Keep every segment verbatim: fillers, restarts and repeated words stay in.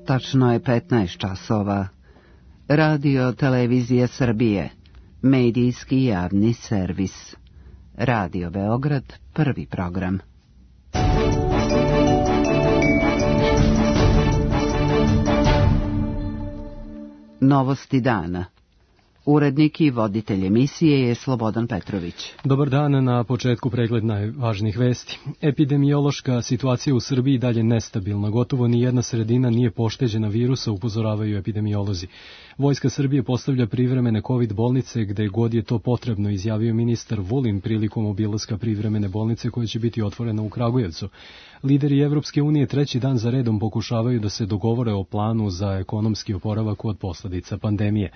Tačno je petnaest časova. Radio Televizije Srbije, medijski javni servis. Radio Beograd, prvi program. Novosti dana. Urednik i voditelj emisije je Slobodan Petrović. Dobar dan, na početku pregled najvažnijih vesti. Epidemiološka situacija u Srbiji dalje nestabilna. Gotovo ni jedna sredina nije pošteđena virusa, upozoravaju epidemiolozi. Vojska Srbije postavlja privremene COVID bolnice gde god je to potrebno, izjavio ministar Vulin prilikom obilaska privremene bolnice koja će biti otvorena u Kragujevcu. Lideri Evropske unije treći dan za redom pokušavaju da se dogovore o planu za ekonomski oporavak od posledica pandemije.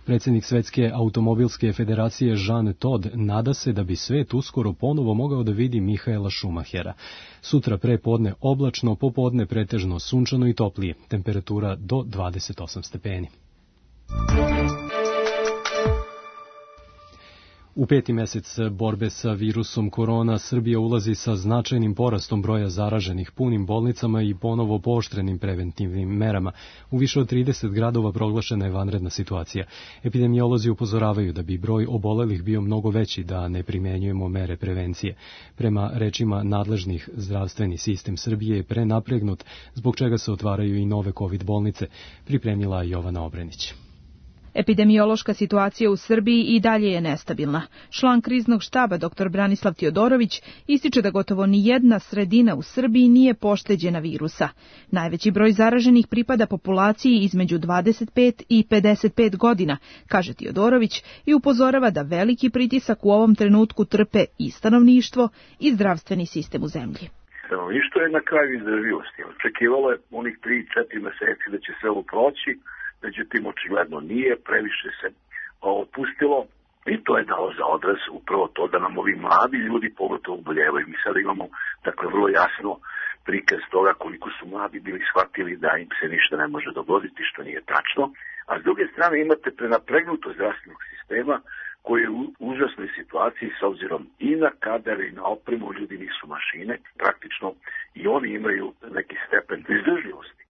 Predsjednik Svetske automobilske federacije Jean Todt nada se da bi svet uskoro ponovo mogao da vidi Mihaela Schumachera. Sutra pre podne oblačno, popodne pretežno sunčano i toplije, temperatura do dvadeset osam stepeni. U peti mesec borbe sa virusom korona, Srbija ulazi sa značajnim porastom broja zaraženih, punim bolnicama i ponovo pooštrenim preventivnim merama. U više od trideset gradova proglašena je vanredna situacija. Epidemiolozi upozoravaju da bi broj obolelih bio mnogo veći da ne primenjujemo mere prevencije. Prema rečima nadležnih, zdravstveni sistem Srbije je prenapregnut, zbog čega se otvaraju i nove COVID bolnice, pripremila Jovana Obrenić. Epidemiološka situacija u Srbiji i dalje je nestabilna. Član kriznog štaba dr Branislav Tijodorović ističe da gotovo ni jedna sredina u Srbiji nije pošteđena virusa. Najveći broj zaraženih pripada populaciji između dvadeset pet i pedeset pet godina, kaže Tijodorović, i upozorava da veliki pritisak u ovom trenutku trpe i stanovništvo i zdravstveni sistem u zemlji. Stanovništvo je na kraju izdržljivosti. Očekivalo je onih tri do četiri meseci da će se ovo proći, međutim, očigledno nije, previše se otpustilo i to je dalo za odraz upravo to da nam ovi mladi ljudi pogotovo oboljevaju. Mi sada imamo, dakle, vrlo jasno prikaz toga koliko su mladi bili shvatili da im se ništa ne može dogoditi, što nije tačno, a s druge strane imate prenapregnuto zdravstvenog sistema koji je u užasnoj situaciji s obzirom i na kadar i na opremu, ljudi nisu mašine, praktično i oni imaju neki stepen izdržljivosti.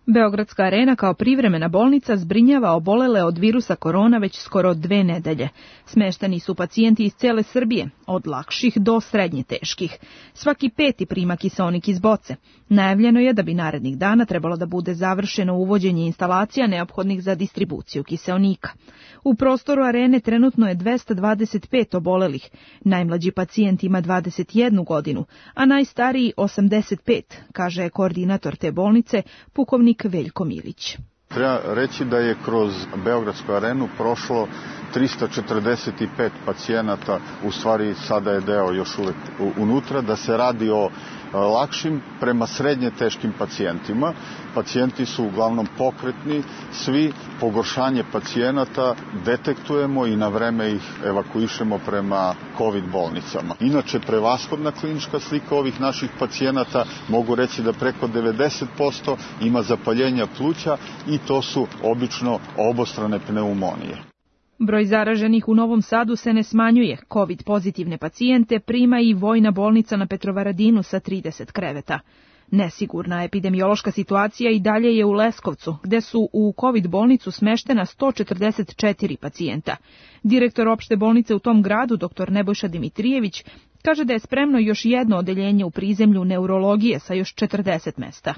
Beogradska arena kao privremena bolnica zbrinjava obolele od virusa korona već skoro dve nedelje. Smešteni su pacijenti iz cele Srbije, od lakših do srednje teških. Svaki peti prima kiseonik iz boce. Najavljeno je da bi narednih dana trebalo da bude završeno uvođenje instalacija neophodnih za distribuciju kiseonika. U prostoru arene trenutno je dvesta dvadeset pet obolelih. Najmlađi pacijent ima dvadeset jednu godinu, a najstariji osamdeset pet, kaže koordinator te bolnice, pukovnik Veljko Milić. Treba reći da je kroz Beogradsku arenu prošlo trista četrdeset pet pacijenata, u stvari sada je deo još uvek unutra, da se radi o lakšim prema srednje teškim pacijentima. Pacijenti su uglavnom pokretni, svi pogoršanje pacijenata detektujemo i na vreme ih evakuišemo prema COVID bolnicama. Inače, prevashodna klinička slika ovih naših pacijenata, mogu reći da preko devedeset posto ima zapaljenja pluća i to su obično obostrane pneumonije. Broj zaraženih u Novom Sadu se ne smanjuje. COVID pozitivne pacijente prima i vojna bolnica na Petrovaradinu sa trideset kreveta. Nesigurna epidemiološka situacija i dalje je u Leskovcu, gde su u COVID bolnicu smeštena sto četrdeset četiri pacijenta. Direktor opšte bolnice u tom gradu, dr Nebojša Dimitrijević, kaže da je spremno još jedno odeljenje u prizemlju neurologije sa još četrdeset mesta.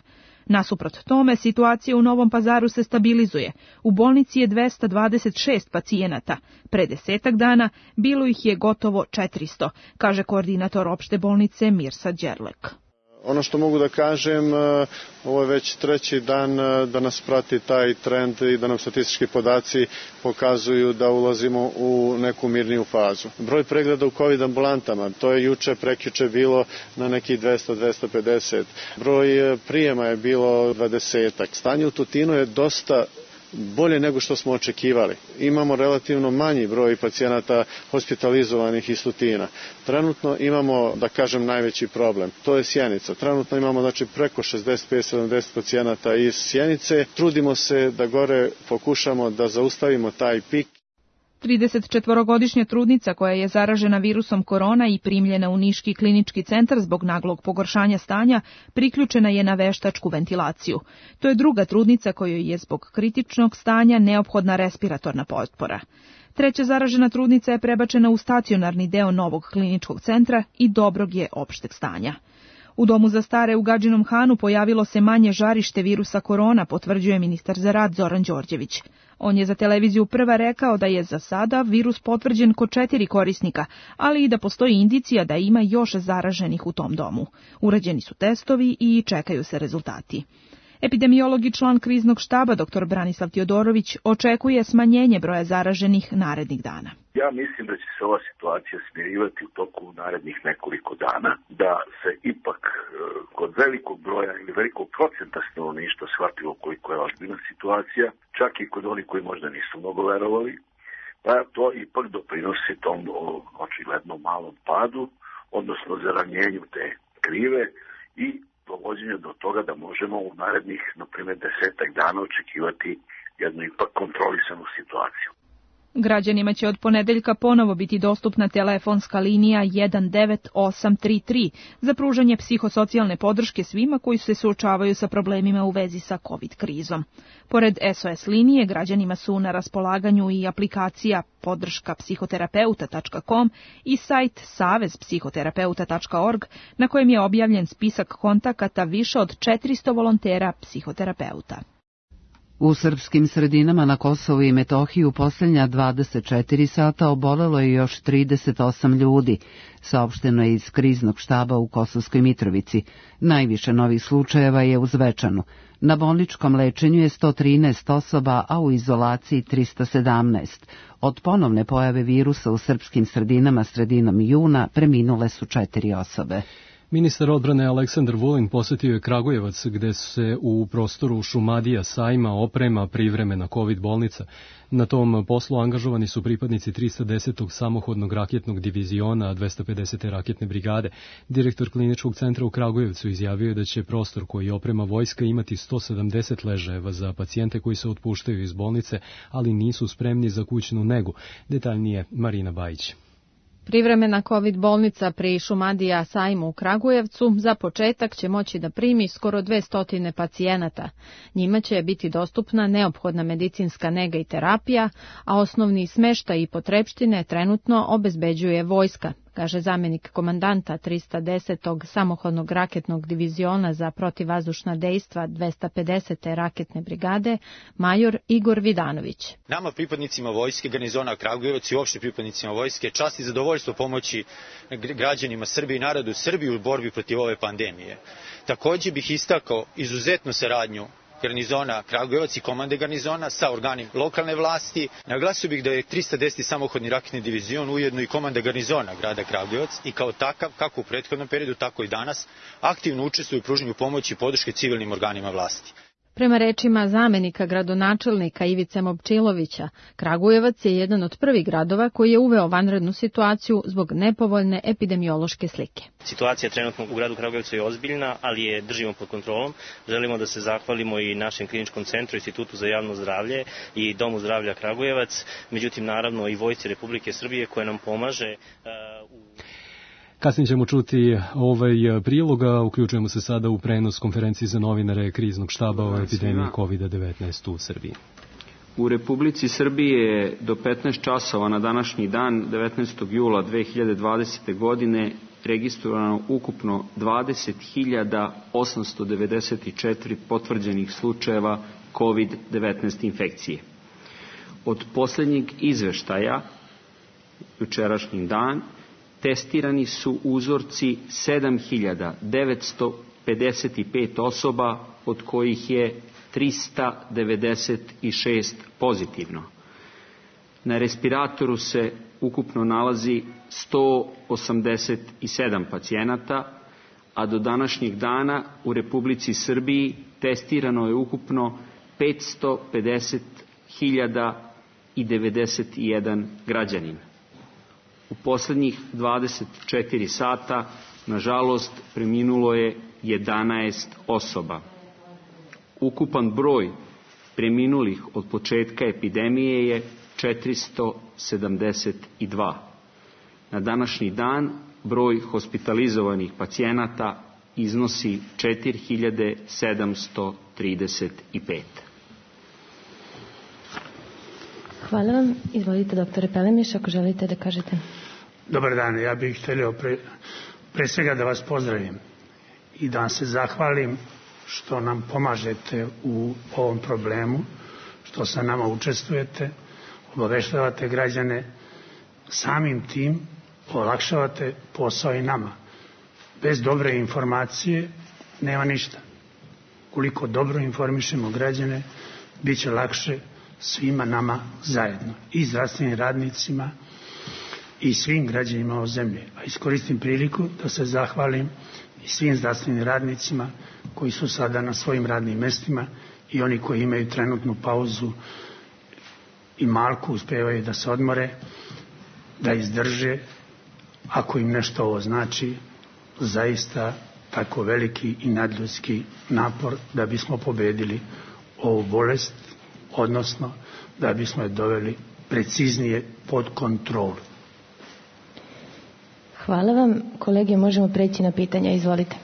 Nasuprot tome, situacija u Novom Pazaru se stabilizuje. U bolnici je dvesta dvadeset šest pacijenata. Pre desetak dana bilo ih je gotovo četiristo, kaže koordinator opšte bolnice Mirsa Đerlek. Ono što mogu da kažem, ovo je već treći dan da nas prati taj trend i da nam statistički podaci pokazuju da ulazimo u neku mirniju fazu. Broj pregleda u COVID ambulantama, to je juče, prekjuče bilo na nekih dvesta do dvesta pedeset. Broj prijema je bilo dvadesetak. Stanje u Tutinu je dosta bolje nego što smo očekivali. Imamo relativno manji broj pacijenata hospitalizovanih iz Tutina. Trenutno imamo, da kažem, najveći problem. To je Sjenica. Trenutno imamo znači preko šezdeset pet do sedamdeset pacijenata iz Sjenice. Trudimo se da gore pokušamo da zaustavimo taj pik. tridesetčetvorogodišnja trudnica koja je zaražena virusom korona i primljena u Niški klinički centar zbog naglog pogoršanja stanja, priključena je na veštačku ventilaciju. To je druga trudnica kojoj je zbog kritičnog stanja neophodna respiratorna potpora. Treća zaražena trudnica je prebačena u stacionarni deo novog kliničkog centra i dobrog je opšteg stanja. U domu za stare u Gadžinom Hanu pojavilo se manje žarište virusa korona, potvrđuje ministar za rad Zoran Đorđević. On je za televiziju Prva rekao da je za sada virus potvrđen kod četiri korisnika, ali i da postoji indicija da ima još zaraženih u tom domu. Urađeni su testovi i čekaju se rezultati. Epidemiolog i član kriznog štaba dr Branislav Tijodorović očekuje smanjenje broja zaraženih narednih dana. Ja mislim da će se ova situacija smirivati u toku narednih nekoliko dana, da se ipak kod velikog broja ili velikog procenta stanovništva shvatilo koliko je ozbiljna situacija, čak i kod onih koji možda nisu mnogo verovali, pa to ipak doprinosi tom očigledno malom padu, odnosno zaranjenju te krive i dovođenje do toga da možemo u narednih, na primjer, desetak dana očekivati jednu ipak kontrolisanu situaciju. Građanima će od ponedeljka ponovo biti dostupna telefonska linija jedan devet osam tri tri za pružanje psihosocijalne podrške svima koji se suočavaju sa problemima u vezi sa COVID krizom. Pored S O S linije, građanima su na raspolaganju i aplikacija podrška psihoterapeuta tačka com i sajt savez psihoterapeuta tačka org na kojem je objavljen spisak kontakata više od četiristo volontera psihoterapeuta. U srpskim sredinama na Kosovu i Metohiji u posljednja dvadeset četiri sata obolelo je još trideset osam ljudi, saopšteno je iz kriznog štaba u Kosovskoj Mitrovici. Najviše novih slučajeva je u Zvečanu. Na bolničkom lečenju je sto trinaest osoba, a u izolaciji trista sedamnaest. Od ponovne pojave virusa u srpskim sredinama sredinom juna preminule su četiri osobe. Ministar odbrane Aleksandar Vulin posjetio je Kragujevac, gde se u prostoru Šumadija sajma oprema privremena COVID bolnica. Na tom poslu angažovani su pripadnici trista desetog samohodnog raketnog diviziona dvesta pedesete raketne brigade. Direktor kliničkog centra u Kragujevcu izjavio je da će prostor koji oprema vojska imati sto sedamdeset ležajeva za pacijente koji se otpuštaju iz bolnice, ali nisu spremni za kućnu negu. Detaljnije Marina Bajić. Privremena COVID bolnica pri Šumadija sajmu u Kragujevcu za početak će moći da primi skoro dvesta pacijenata. Njima će biti dostupna neophodna medicinska nega i terapija, a osnovni smeštaj i potrepštine trenutno obezbeđuje vojska, kaže zamenik komandanta trista desetog samohodnog raketnog diviziona za protivvazdušna dejstva dvesta pedesete raketne brigade, major Igor Vidanović. Nama, pripadnicima vojske, garnizona Kragujevac i uopšte pripadnicima vojske, čast i zadovoljstvo pomoći građanima Srbije i narodu Srbije u borbi protiv ove pandemije. Također bih istakao izuzetnu saradnju garnizona Kragujevac i komande garnizona sa organima lokalne vlasti. Naglasio bih da je trista deseti samohodni raketni divizion ujedno i komanda garnizona grada Kragujevac i kao takav, kako u prethodnom periodu, tako i danas, aktivno učestvuje u pružanju pomoći i podrške civilnim organima vlasti. Prema rečima zamenika gradonačelnika Ivice Momčilovića, Kragujevac je jedan od prvih gradova koji je uveo vanrednu situaciju zbog nepovoljne epidemiološke slike. Situacija trenutno u gradu Kragujevcu je ozbiljna, ali je držimo pod kontrolom. Želimo da se zahvalimo i našem kliničkom centru, Institutu za javno zdravlje i Domu zdravlja Kragujevac, međutim naravno i Vojsci Republike Srbije koja nam pomaže uh, u... Kasnije ćemo čuti ovaj priloga, uključujemo se sada u prenos konferenciji za novinare kriznog štaba o epidemiji kovid devetnaest u Srbiji. U Republici Srbiji je do petnaest časova na današnji dan, devetnaestog jula dve hiljade dvadesete. godine, registrovano ukupno dvadeset hiljada osamsto devedeset četiri potvrđenih slučajeva kovid devetnaest infekcije. Od posljednjeg izveštaja, jučerašnji dan, testirani su uzorci sedam hiljada devetsto pedeset pet osoba, od kojih je trista devedeset šest pozitivno. Na respiratoru se ukupno nalazi sto osamdeset sedam pacijenata, a do današnjeg dana u Republici Srbiji testirano je ukupno petsto pedeset hiljada devedeset jedan građanin. U posljednjih dvadeset četiri sata, nažalost, preminulo je jedanaest osoba. Ukupan broj preminulih od početka epidemije je četiristo sedamdeset dva. Na današnji dan broj hospitalizovanih pacijenata iznosi četiri hiljade sedamsto trideset pet. Hvala vam. Izvolite, doktore Pelemiš, ako želite da kažete. Dobar dan, ja bih htio pre, pre svega da vas pozdravim i da vam se zahvalim što nam pomažete u ovom problemu, što sa nama učestvujete, obaveštavate građane, samim tim olakšavate posao i nama. Bez dobre informacije nema ništa. Koliko dobro informišemo građane, bit će lakše svima nama zajedno, i zdravstvenim radnicima i svim građanima ove zemlje. A iskoristim priliku da se zahvalim i svim zdravstvenim radnicima koji su sada na svojim radnim mestima i oni koji imaju trenutnu pauzu i malku uspevaju da se odmore, da izdrže, ako im nešto ovo znači, zaista tako veliki i nadljudski napor da bismo pobedili ovu bolest, odnosno da bismo je doveli preciznije pod kontrolu. Hvala vam. Kolege, možemo preći na pitanja. Izvolite.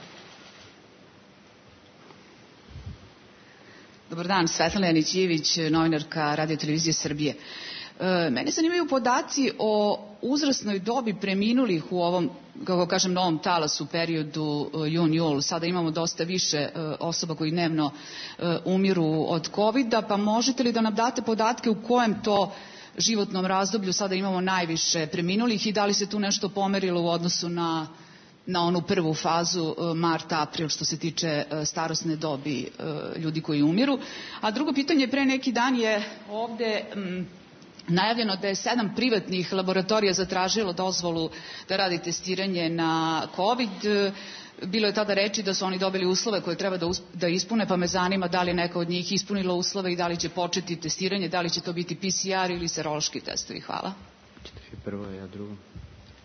Dobar dan, Svetlana Janić-Ivić, novinarka Radio televizije Srbije. E, mene zanimaju podaci o uzrasnoj dobi preminulih u ovom, kako kažem, novom talasu u periodu jun-jul. Sada imamo dosta više e, osoba koji dnevno e, umiru od kovida, pa možete li da nam date podatke u kojem to životnom razdoblju sada imamo najviše preminulih i da li se tu nešto pomerilo u odnosu na, na onu prvu fazu mart-april što se tiče starosne dobi ljudi koji umiru. A drugo pitanje, pre neki dan je ovde m, najavljeno da je sedam privatnih laboratorija zatražilo dozvolu da radi testiranje na COVID. Bilo je tada reči da su oni dobili uslove koje treba da, da ispune, pa me zanima da li je neka od njih ispunila uslove i da li će početi testiranje, da li će to biti P C R ili serološki testovi. Hvala. Prvo, ja drugo.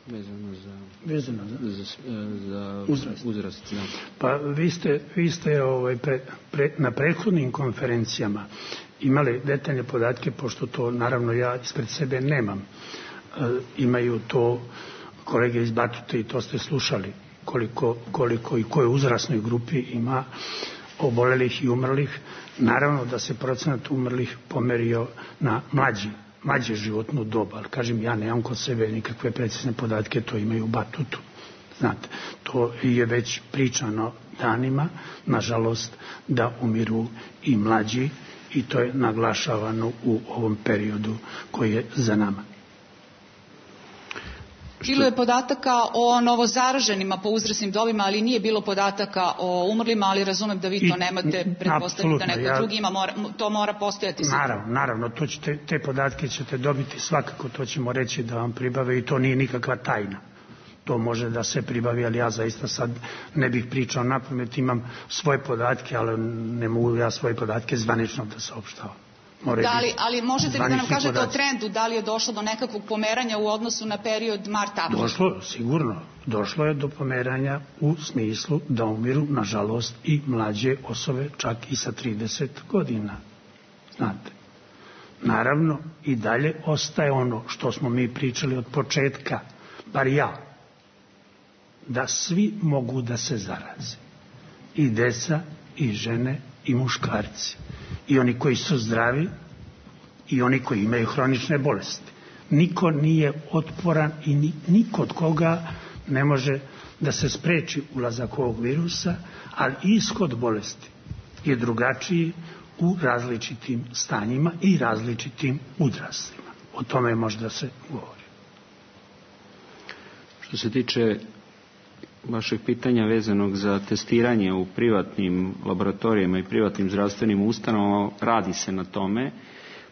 Vezano za, Vezano za? za, za uzrast. uzrast da. Pa vi ste, vi ste ovaj, pre, pre, na prethodnim konferencijama imali detaljne podatke, pošto to naravno ja ispred sebe nemam. E, imaju to kolege iz Batute i to ste slušali. Koliko, koliko i koje uzrasnoj grupi ima obolelih i umrlih. Naravno da se procenat umrlih pomerio na mlađi, mlađe životnu dobu, ali kažem, ja nemam kod sebe nikakve precizne podatke, to imaju u Batutu. Znate, to je već pričano danima, nažalost, da umiru i mlađi i to je naglašavano u ovom periodu koji je za nama. Bilo je podataka o novozaraženima po uzrasnim dobima, ali nije bilo podataka o umrlima, ali razumem da vi to nemate, pretpostavljam da neko ja, drugi ima, mora, to mora postojati. Naravno, naravno, to ćete, te podatke ćete dobiti svakako, to ćemo reći da vam pribave i to nije nikakva tajna. To može da se pribavi, ali ja zaista sad ne bih pričao napamet, imam svoje podatke, ali ne mogu ja svoje podatke zvanično da saopštavam. Da li, ali možete li da nam kažete podaci o trendu, da li je došlo do nekakvog pomeranja u odnosu na period mart-april? Došlo, sigurno. Došlo je do pomeranja u smislu da umiru, nažalost, i mlađe osobe, čak i sa trideset godina. Znate. Naravno, i dalje ostaje ono što smo mi pričali od početka, bar ja, da svi mogu da se zaraze. I deca, i žene, i muškarci. I oni koji su zdravi i oni koji imaju hronične bolesti. Niko nije otporan i ni, niko od koga ne može da se spreči ulazak ovog virusa, ali ishod bolesti je drugačiji u različitim stanjima i različitim uzrastima. O tome može da se govori. Što se tiče vašeg pitanja vezanog za testiranje u privatnim laboratorijama i privatnim zdravstvenim ustanovama, radi se na tome.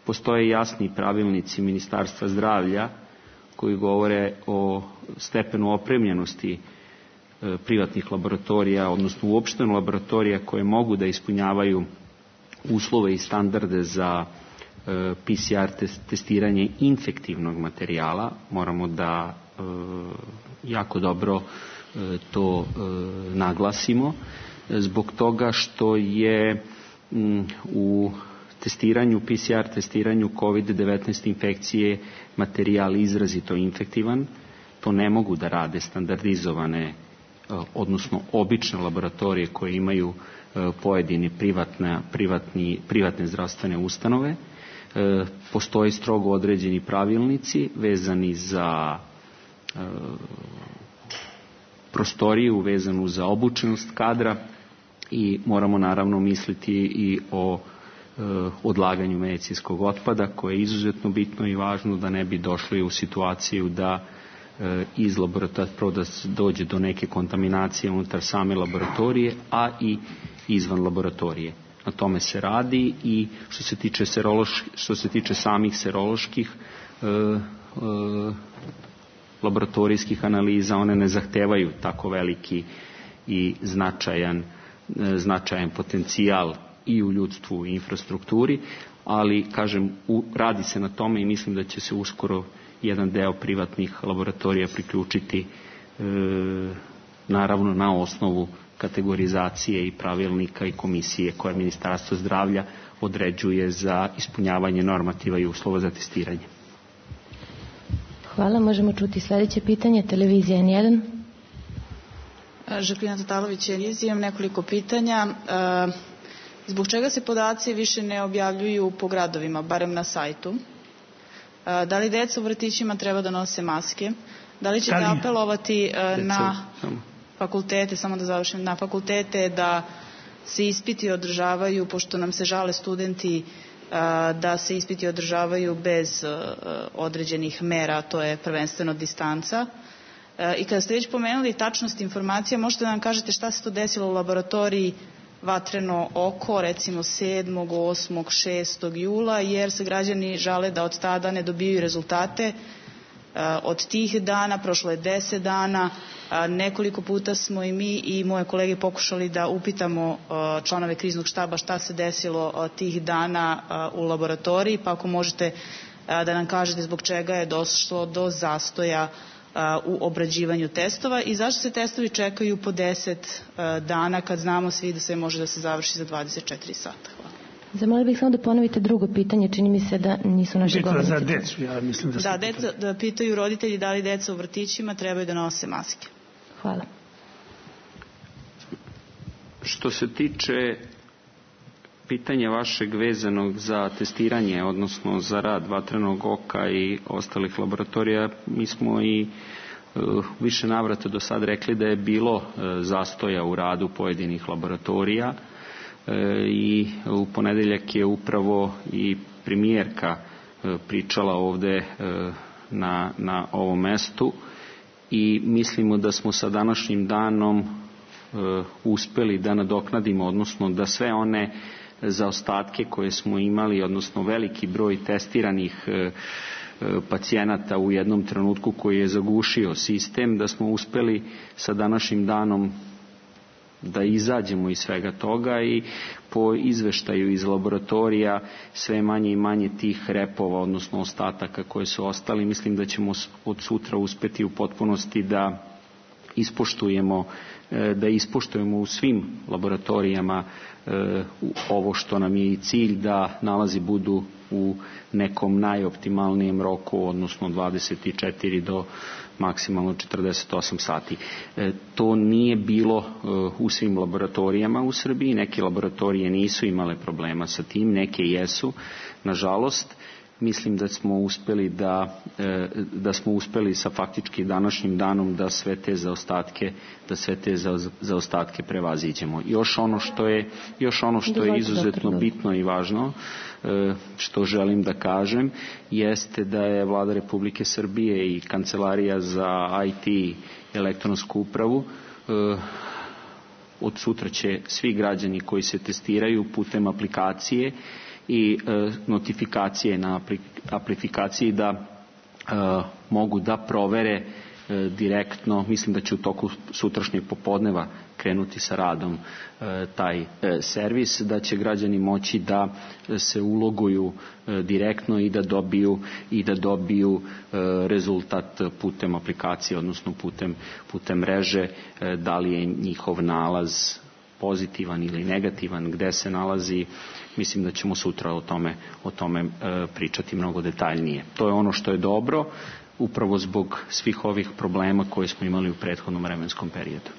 Postoje jasni pravilnici Ministarstva zdravlja koji govore o stepenu opremljenosti privatnih laboratorija, odnosno uopšteno laboratorija koje mogu da ispunjavaju uslove i standarde za P C R testiranje infektivnog materijala. Moramo da jako dobro to e, naglasimo, zbog toga što je m, u testiranju, P C R testiranju kovid devetnaest infekcije materijal izrazito infektivan. To ne mogu da rade standardizovane, odnosno obične laboratorije koje imaju pojedine privatne, privatni, privatne zdravstvene ustanove. Postoje strogo određeni pravilnici vezani za prostoriju, vezanu za obučenost kadra i moramo naravno misliti i o odlaganju medicinskog otpada, koje je izuzetno bitno i važno da ne bi došli u situaciju da iz laboratorija da dođe do neke kontaminacije unutar same laboratorije, a i izvan laboratorije. Na tome se radi i što se tiče, serološ, što se tiče samih seroloških e, e, laboratorijskih analiza, one ne zahtevaju tako veliki i značajan, e, značajan potencijal i u ljudstvu i infrastrukturi, ali kažem, u, radi se na tome i mislim da će se uskoro jedan deo privatnih laboratorija priključiti e, naravno na osnovu kategorizacije i pravilnika i komisije koje Ministarstvo zdravlja određuje za ispunjavanje normativa i uslova za testiranje. Hvala. Možemo čuti sljedeće pitanje. Televizija N jedan. Žaklina Tatalović, imam nekoliko pitanja. Zbog čega se podaci više ne objavljuju po gradovima, barem na sajtu? Da li deca u vrtićima treba da nose maske? Da li ćete apelovati na fakultete, samo da završim, na fakultete da se ispiti održavaju, pošto nam se žale studenti, da se ispiti održavaju bez određenih mera, to je prvenstveno distanca. I kada ste već pomenuli tačnost informacija, možete da nam kažete šta se to desilo u laboratoriji Vatreno oko, recimo sedmog, osmog, šestog jula, jer se građani žale da od tada ne dobiju rezultate. Od tih dana, prošlo je deset dana, nekoliko puta smo i mi i moje kolege pokušali da upitamo članove kriznog štaba šta se desilo tih dana u laboratoriji, pa ako možete da nam kažete zbog čega je došlo do zastoja u obrađivanju testova i zašto se testovi čekaju po deset dana kad znamo svi da sve može da se završi za dvadeset četiri sata. Hvala. Zamolio bih samo da ponovite drugo pitanje, čini mi se da nisu naši govornici. Za decu, ja mislim da... Da, deca, da pitaju roditelji da li deca u vrtićima trebaju da nose maske. Hvala. Što se tiče pitanja vašeg vezanog za testiranje, odnosno za rad Vatrenog oka i ostalih laboratorija, mi smo i uh, više navrata do sad rekli da je bilo uh, zastoja u radu pojedinih laboratorija uh, i u ponedeljak je upravo i premijerka uh, pričala ovde uh, na, na ovom mestu i mislimo da smo sa današnjim danom uh, uspeli da nadoknadimo, odnosno da sve one zaostatke koje smo imali, odnosno veliki broj testiranih e, pacijenata u jednom trenutku koji je zagušio sistem, da smo uspeli sa današnjim danom da izađemo iz svega toga i po izveštaju iz laboratorija sve manje i manje tih repova, odnosno ostataka koje su ostali. Mislim da ćemo od sutra uspeti u potpunosti da ispoštujemo da ispoštujemo u svim laboratorijama ovo što nam je i cilj, da nalazi budu u nekom najoptimalnijem roku, odnosno dvadeset četiri do maksimalno četrdeset osam sati. To nije bilo u svim laboratorijama u Srbiji, neke laboratorije nisu imale problema sa tim, neke jesu, nažalost. Mislim da smo uspeli da, da smo uspeli sa faktički današnjim danom da sve te zaostatke, da sve te zaostatke prevaziđemo. Još ono što je, još ono što je izuzetno bitno i važno, što želim da kažem, jeste da je Vlada Republike Srbije i Kancelarija za I T i elektronsku upravu od sutra će svi građani koji se testiraju putem aplikacije i e, notifikacije na aplifikaciji da e, mogu da provere e, direktno, mislim da će u toku sutrašnjeg popodneva krenuti sa radom e, taj e, servis, da će građani moći da se uloguju e, direktno i da dobiju i da dobiju e, rezultat putem aplikacije, odnosno putem putem mreže, e, da li je njihov nalaz pozitivan ili negativan, gde se nalazi, mislim da ćemo sutra o tome, o tome e, pričati mnogo detaljnije. To je ono što je dobro, upravo zbog svih ovih problema koje smo imali u prethodnom vremenskom periodu.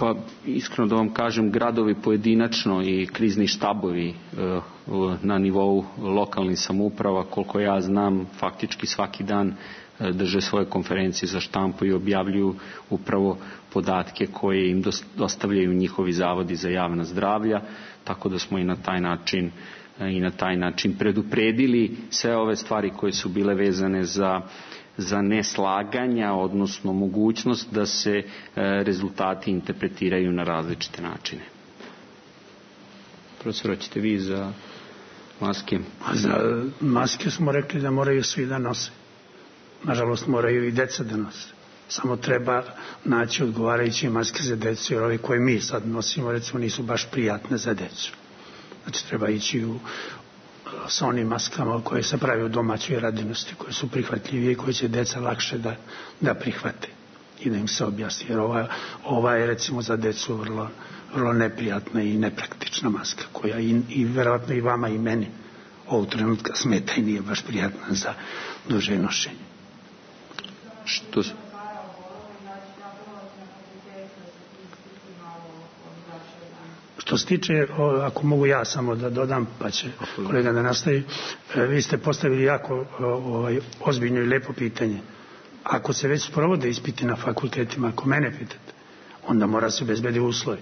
Pa iskreno da vam kažem, gradovi pojedinačno i krizni štabovi e, na nivou lokalnih samouprava, koliko ja znam, faktički svaki dan e, drže svoje konferencije za štampu i objavljuju upravo podatke koje im dostavljaju njihovi zavodi za javna zdravlja, tako da smo i na taj način e, i na taj način predupredili sve ove stvari koje su bile vezane za za neslaganja, odnosno mogućnost da se e, rezultati interpretiraju na različite načine. Profesor, hoćete vi za maske? Za maske smo rekli da moraju svi da nose. Nažalost, moraju i deca da nose. Samo treba naći odgovarajuće maske za decu, jer ove koje mi sad nosimo, recimo, nisu baš prijatne za decu. Znači, treba ići u sa onim maskama koje se pravi u domaćoj radinosti, koje su prihvatljivije i koje će deca lakše da, da prihvate i da im se objasni. Jer ova, ova je recimo za decu vrlo, vrlo neprijatna i nepraktična maska, koja i, i verovatno i vama i meni ovog trenutka smeta i nije baš prijatna za duže nošenje. Što su? Što se tiče, ako mogu ja samo da dodam, pa će kolega da nastavi, vi ste postavili jako ovaj, ozbiljno i lepo pitanje. Ako se već sprovode ispiti na fakultetima, ako mene pitate, onda mora se obezbediti uslovi.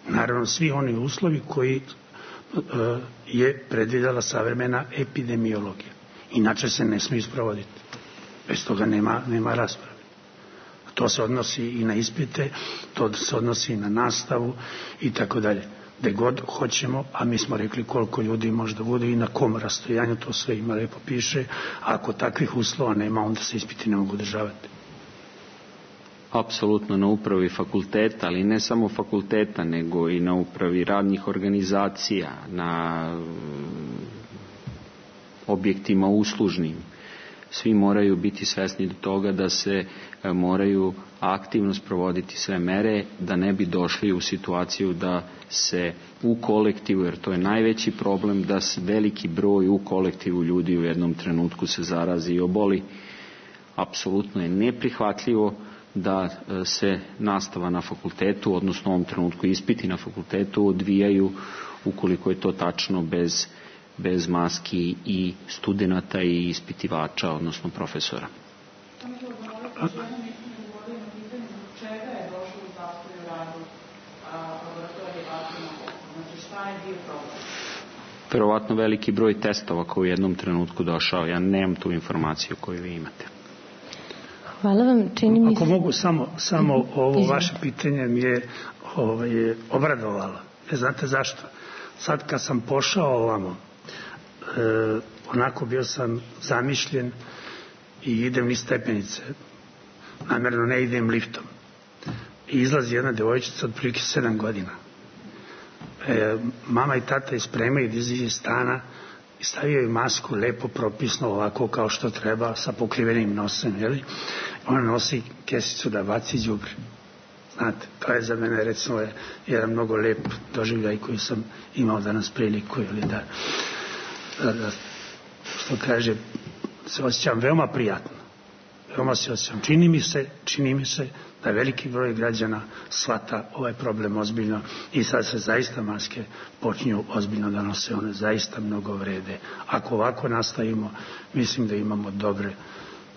Naravno, svi oni uslovi koji uh, je predvidela savremena epidemiologija. Inače se ne smije sprovoditi. Bez toga nema, nema rasprave. To se odnosi i na ispite, to se odnosi i na nastavu i tako dalje. Gde god hoćemo, a mi smo rekli koliko ljudi možda bude i na kom rastojanju, to sve ima lepo piše. A ako takvih uslova nema, onda se ispiti ne mogu održavati. Apsolutno na upravi fakulteta, ali ne samo fakulteta, nego i na upravi radnih organizacija, na objektima uslužnim. Svi moraju biti svesni do toga da se moraju aktivno sprovoditi sve mere, da ne bi došli u situaciju da se u kolektivu, jer to je najveći problem, da se veliki broj u kolektivu ljudi u jednom trenutku se zarazi i oboli. Apsolutno je neprihvatljivo da se nastava na fakultetu, odnosno u ovom trenutku ispiti na fakultetu, odvijaju, ukoliko je to tačno, bez bez maski i studenata i ispitivača, odnosno profesora. Verovatno veliki broj testova koji u jednom trenutku došao. Ja nemam tu informaciju koju vi imate. Hvala vam. Čini mi se... Ako mogu samo, samo ovo vaše pitanje mi je ovaj, obradovalo. E, znate zašto? Sad kad sam pošao ovamo, E, onako bio sam zamišljen i idem niz stepenice, namjerno ne idem liftom, i izlazi jedna devojčica od prilike sedam godina. E, mama i tata je spremaju da izađe iz stana i stavio je masku lepo propisno ovako kao što treba, sa pokrivenim nosem, jeli? Ona nosi kesicu da baci đubre. Znate, to je za mene recimo jedan mnogo lep doživljaj koji sam imao danas priliku, ili da Da, što kaže, se osjećam veoma prijatno. Veoma se osjećam. Čini mi se, čini mi se da veliki broj građana shvata ovaj problem ozbiljno i sad se zaista maske počinju ozbiljno da nose. One zaista mnogo vrede. Ako ovako nastavimo, mislim da imamo dobre,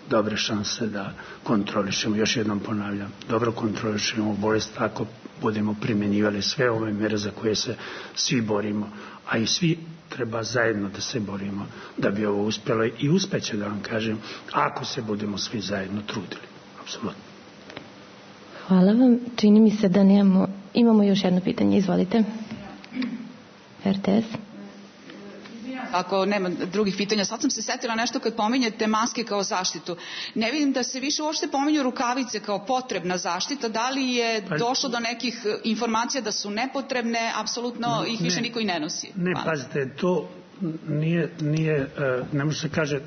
dobre šanse da kontrolišemo. Još jednom ponavljam, dobro kontrolišemo bolest ako budemo primjenjivali sve ove mere za koje se svi borimo, a i svi treba zajedno da se borimo da bi ovo uspjelo i uspeće, da vam kažem, ako se budemo svi zajedno trudili. Apsolutno. Hvala vam. Čini mi se da nemamo... Imamo još jedno pitanje. Izvolite. R T S. Ako nema drugih pitanja, sad sam se setila nešto kad pominjete maske kao zaštitu. Ne vidim da se više uopšte pominju rukavice kao potrebna zaštita. Da li je došlo do nekih informacija da su nepotrebne, apsolutno ih više niko i ne nosi? Ne, pazite, to nije, nije, ne može se kaže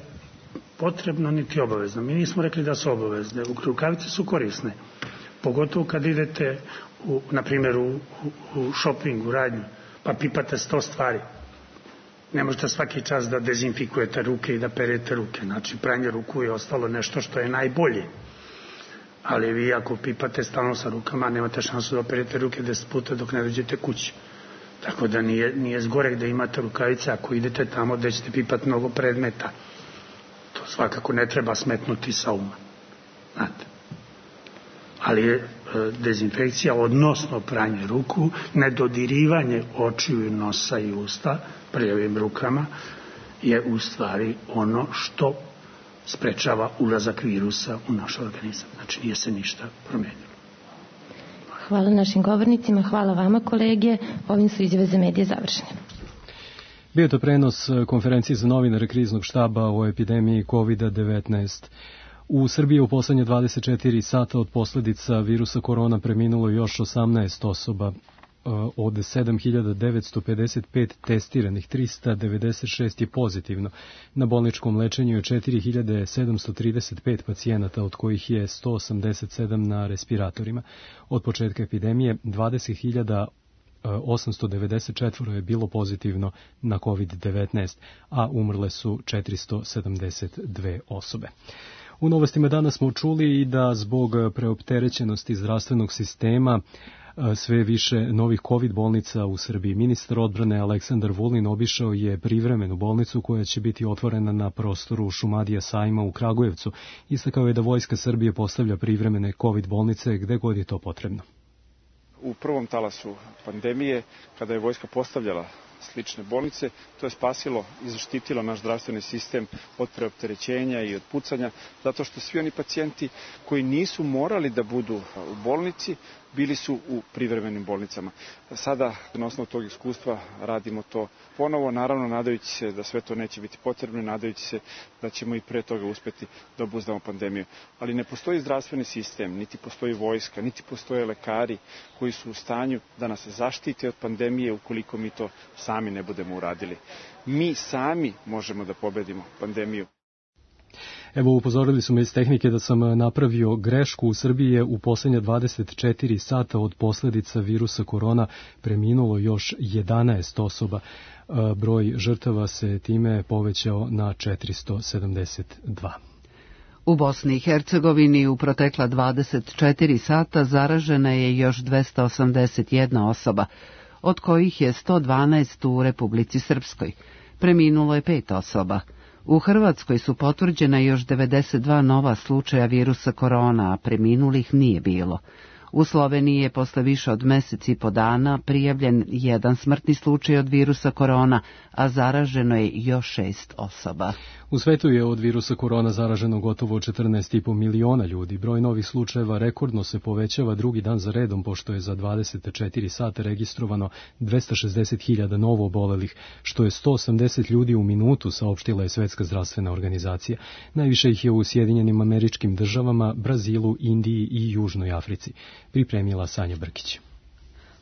potrebno niti obavezno. Mi nismo rekli da su obavezne. Rukavice su korisne. Pogotovo kad idete, u, na primjer, u, u, u shopping, u radnju, pa pipate sto stvari. Ne možete svaki čas da dezinfikujete ruke i da perete ruke. Znači, pranje ruku je ostalo nešto što je najbolje. Ali vi ako pipate stalno sa rukama, nemate šansu da operete ruke deset puta dok ne dođete kući. Tako da nije, nije zgorek da imate rukavice ako idete tamo gde ćete pipati mnogo predmeta. To svakako ne treba smetnuti sa uma. Znate. Ali je e, dezinfekcija, odnosno pranje ruku, nedodirivanje očiju, nosa i usta prljavim rukama, je u stvari ono što sprečava ulazak virusa u naš organizam. Znači nije se ništa promenilo. Hvala našim govornicima, hvala vama kolege. Ovim su izjave za medije završene. Bio to prenos konferencije za novinare kriznog štaba o epidemiji kovid devetnaest. U Srbiji u poslednje dvadeset četiri sata od posledica virusa korona preminulo još osamnaest osoba. Od sedam hiljada devetsto pedeset pet testiranih, trista devedeset šest je pozitivno. Na bolničkom lečenju je četiri hiljade sedamsto trideset pet pacijenata, od kojih je sto osamdeset sedam na respiratorima. Od početka epidemije dvadeset hiljada osamsto devedeset četiri je bilo pozitivno na kovid devetnaest, a umrle su četiristo sedamdeset dve osobe. U novostima danas smo čuli i da zbog preopterećenosti zdravstvenog sistema sve više novih kovid bolnica u Srbiji. Ministar odbrane Aleksandar Vulin obišao je privremenu bolnicu koja će biti otvorena na prostoru Šumadija sajma u Kragujevcu. Istakao je da Vojska Srbije postavlja privremene kovid bolnice gde god je to potrebno. U prvom talasu pandemije, kada je Vojska postavljala slične bolnice, to je spasilo i zaštitilo naš zdravstveni sistem od preopterećenja i od pucanja, zato što svi oni pacijenti koji nisu morali da budu u bolnici, bili su u privremenim bolnicama. Sada, na osnovu tog iskustva, radimo to ponovo, naravno nadajući se da sve to neće biti potrebno i nadajući se da ćemo i pre toga uspeti da obuzdamo pandemiju. Ali ne postoji zdravstveni sistem, niti postoji vojska, niti postoje lekari koji su u stanju da nas zaštite od pandemije ukoliko mi to sami ne budemo uradili. Mi sami možemo da pobedimo pandemiju. Evo, upozorili su me iz tehnike da sam napravio grešku. U Srbiji je u poslednja dvadeset četiri sata od posledica virusa korona preminulo još jedanaest osoba. Broj žrtava se time povećao na četiristo sedamdeset dva. U Bosni i Hercegovini u protekla dvadeset četiri sata zaražena je još dvesta osamdeset jedna osoba, od kojih je sto dvanaest u Republici Srpskoj. Preminulo je pet osoba. U Hrvatskoj su potvrđena još devedeset dva nova slučaja virusa korona, a preminulih nije bilo. U Sloveniji je posle više od mesec i po dana prijavljen jedan smrtni slučaj od virusa korona, a zaraženo je još šest osoba. U svetu je od virusa korona zaraženo gotovo četrnaest i po miliona ljudi. Broj novih slučajeva rekordno se povećava drugi dan za redom, pošto je za dvadeset četiri sata registrovano dvesta šezdeset hiljada novo obolelih, što je sto osamdeset ljudi u minutu, saopštila je Svetska zdravstvena organizacija. Najviše ih je u Sjedinjenim Američkim Državama, Brazilu, Indiji i Južnoj Africi. Pripremila Sanja Brkić.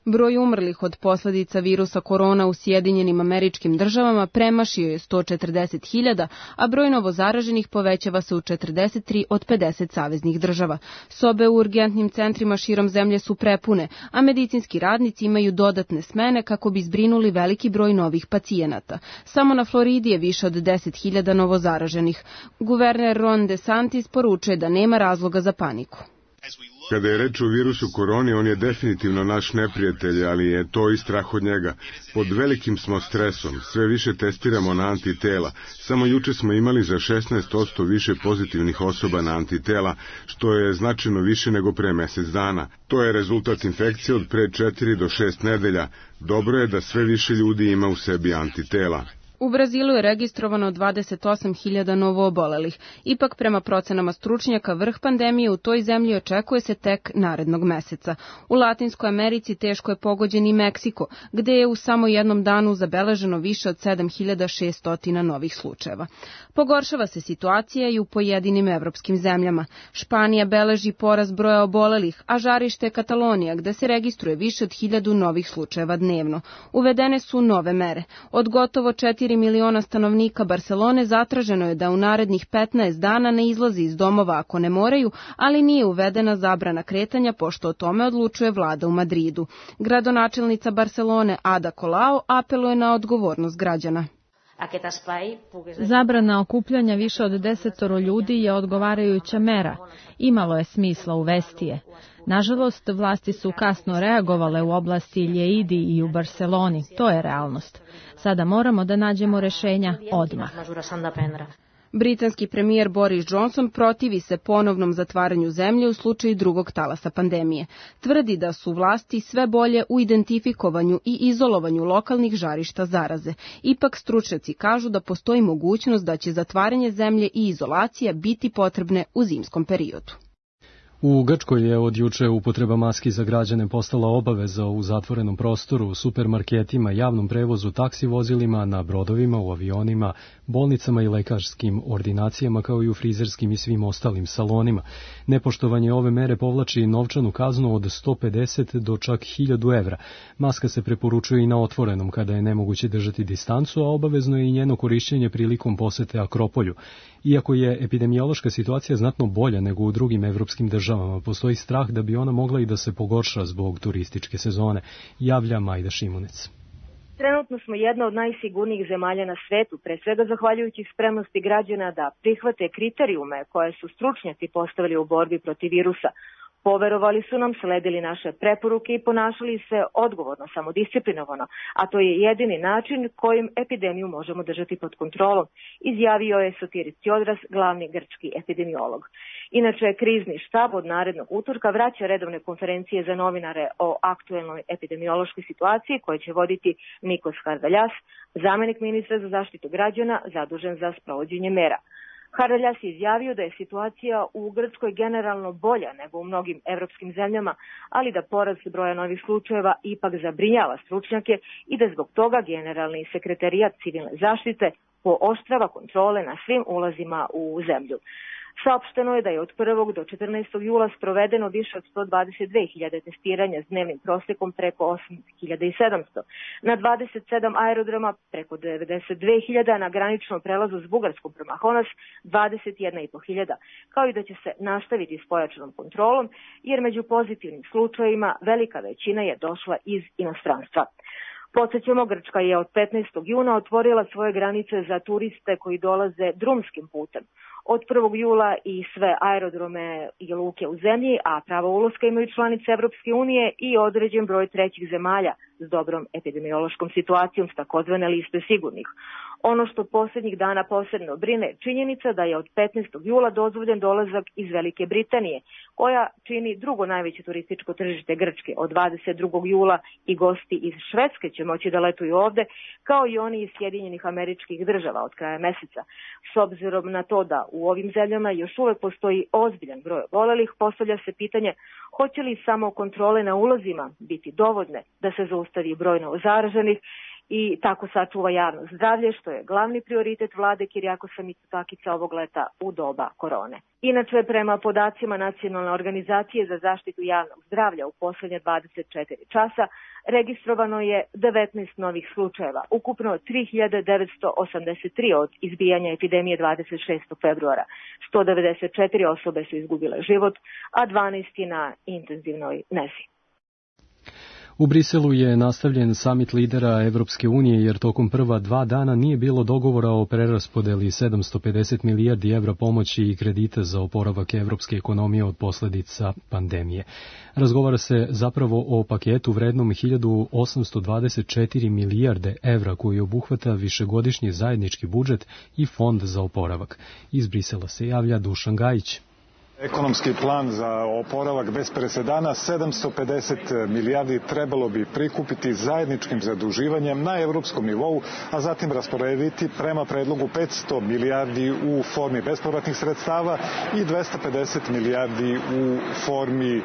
Broj umrlih od posljedica virusa korona u Sjedinjenim Američkim Državama premašio je sto četrdeset hiljada, a broj novozaraženih povećava se u četrdeset tri od pedeset saveznih država. Sobe u urgentnim centrima širom zemlje su prepune, a medicinski radnici imaju dodatne smene kako bi zbrinuli veliki broj novih pacijenata. Samo na Floridi je više od deset hiljada novozaraženih. Guverner Ron DeSantis poručuje da nema razloga za paniku. Kada je reč o virusu koroni, on je definitivno naš neprijatelj, ali je to i strah od njega. Pod velikim smo stresom, sve više testiramo na antitela. Samo juče smo imali za šesnaest posto više pozitivnih osoba na antitela, što je značajno više nego pre mesec dana. To je rezultat infekcije od pre četiri do šest nedelja. Dobro je da sve više ljudi ima u sebi antitela. U Brazilu je registrovano dvadeset osam hiljada novoobolelih. Ipak, prema procenama stručnjaka, vrh pandemije u toj zemlji očekuje se tek narednog meseca. U Latinskoj Americi teško je pogođen i Meksiko, gde je u samo jednom danu zabeleženo više od sedam hiljada šesto novih slučajeva. Pogoršava se situacija i u pojedinim evropskim zemljama. Španija beleži porast broja obolelih, a žarište je Katalonija, gde se registruje više od hiljadu novih slučajeva dnevno. Uvedene su nove mere. Od gotovo četiri četiri miliona stanovnika Barcelone zatraženo je da u narednih petnaest dana ne izlazi iz domova ako ne moraju, ali nije uvedena zabrana kretanja pošto o tome odlučuje vlada u Madridu. Gradonačelnica Barcelone Ada Colau apeluje na odgovornost građana. Zabrana okupljanja više od desetoro ljudi je odgovarajuća mera. Imalo je smisla uvesti je. Nažalost, vlasti su kasno reagovale u oblasti Lleidi i u Barceloni. To je realnost. Sada moramo da nađemo rešenja odmah. Britanski premijer Boris Johnson protivi se ponovnom zatvaranju zemlje u slučaju drugog talasa pandemije. Tvrdi da su vlasti sve bolje u identifikovanju i izolovanju lokalnih žarišta zaraze. Ipak stručnjaci kažu da postoji mogućnost da će zatvaranje zemlje i izolacija biti potrebne u zimskom periodu. U Grčkoj je od juče upotreba maski za građane postala obaveza u zatvorenom prostoru, u supermarketima, javnom prevozu, taksi vozilima, na brodovima, u avionima, bolnicama i lekarskim ordinacijama, kao i u frizerskim i svim ostalim salonima. Nepoštovanje ove mere povlači novčanu kaznu od sto pedeset do čak hiljadu evra. Maska se preporučuje i na otvorenom kada je nemoguće držati distancu, a obavezno je i njeno korišćenje prilikom posete Akropolju. Iako je epidemiološka situacija znatno bolja nego u drugim evropskim državama, postoji strah da bi ona mogla i da se pogorša zbog turističke sezone, javlja Majda Šimunec. Trenutno smo jedna od najsigurnijih zemalja na svetu, pre svega zahvaljujući spremnosti građana da prihvate kriterijume koje su stručnjaci postavili u borbi protiv virusa. Poverovali su nam, sledili naše preporuke i ponašali se odgovorno, samodisciplinovano, a to je jedini način kojim epidemiju možemo držati pod kontrolom, izjavio je Sotiris Tsiodras, glavni grčki epidemiolog. Inače, krizni štab od narednog utorka vraća redovne konferencije za novinare o aktuelnoj epidemiološkoj situaciji koje će voditi Nikos Hardaljas, zamenik ministra za zaštitu građana zadužen za sprovođenje mera. Hardaljas je izjavio da je situacija u Grčkoj generalno bolja nego u mnogim evropskim zemljama, ali da porast broja novih slučajeva ipak zabrinjava stručnjake i da zbog toga generalni sekretarijat civilne zaštite pooštrava kontrole na svim ulazima u zemlju. Saopšteno je da je od prvog do četrnaestog jula sprovedeno više od sto dvadeset dve hiljade testiranja s dnevnim prosjekom preko osam hiljada sedamsto. Na dvadeset sedam aerodroma preko devedeset dve hiljade, na graničnom prelazu s Bugarskom prema Honas dvadeset jedna i po hiljada, kao i da će se nastaviti s pojačanom kontrolom, jer među pozitivnim slučajevima velika većina je došla iz inostranstva. Podsjećamo, Grčka je od petnaestog juna otvorila svoje granice za turiste koji dolaze drumskim putem. Od prvog jula i sve aerodrome i luke u zemlji, a pravo ulaska imaju članice Evropske unije i određen broj trećih zemalja s dobrom epidemiološkom situacijom s takozvane liste sigurnih. Ono što posljednjih dana posebno brine je činjenica da je od petnaestog jula dozvoljen dolazak iz Velike Britanije, koja čini drugo najveće turističko tržište Grčke. Od dvadeset drugog jula i gosti iz Švedske će moći da letuju ovde, kao i oni iz Sjedinjenih Američkih Država od kraja meseca. S obzirom na to da u ovim zemljama još uvek postoji ozbiljan broj obolelih, postavlja se pitanje hoće li samo kontrole na ulazima biti dovoljne da se zaustavi broj novozaraženih i tako sačuva javno zdravlje, što je glavni prioritet vlade Kirijakosa Mitsotakića ovog leta u doba korone. Inače, prema podacima Nacionalne organizacije za zaštitu javnog zdravlja u poslednje dvadeset četiri časa registrovano je devetnaest novih slučajeva, ukupno tri hiljade devetsto osamdeset tri od izbijanja epidemije dvadeset šestog februara. sto devedeset četiri osobe su izgubile život, a dvanaest je na intenzivnoj nezi. U Briselu je nastavljen samit lidera Evropske unije jer tokom prva dva dana nije bilo dogovora o preraspodeli sedamsto pedeset milijardi evra pomoći i kredita za oporavak evropske ekonomije od posledica pandemije. Razgovara se zapravo o paketu vrednom hiljadu osamsto dvadeset četiri milijarde evra koji obuhvata višegodišnji zajednički budžet i fond za oporavak. Iz Brisela se javlja Dušan Gajić. Ekonomski plan za oporavak bez presedana, sedamsto pedeset milijardi trebalo bi prikupiti zajedničkim zaduživanjem na evropskom nivou, a zatim rasporediti prema predlogu petsto milijardi u formi bespovratnih sredstava i dvesta pedeset milijardi u formi e,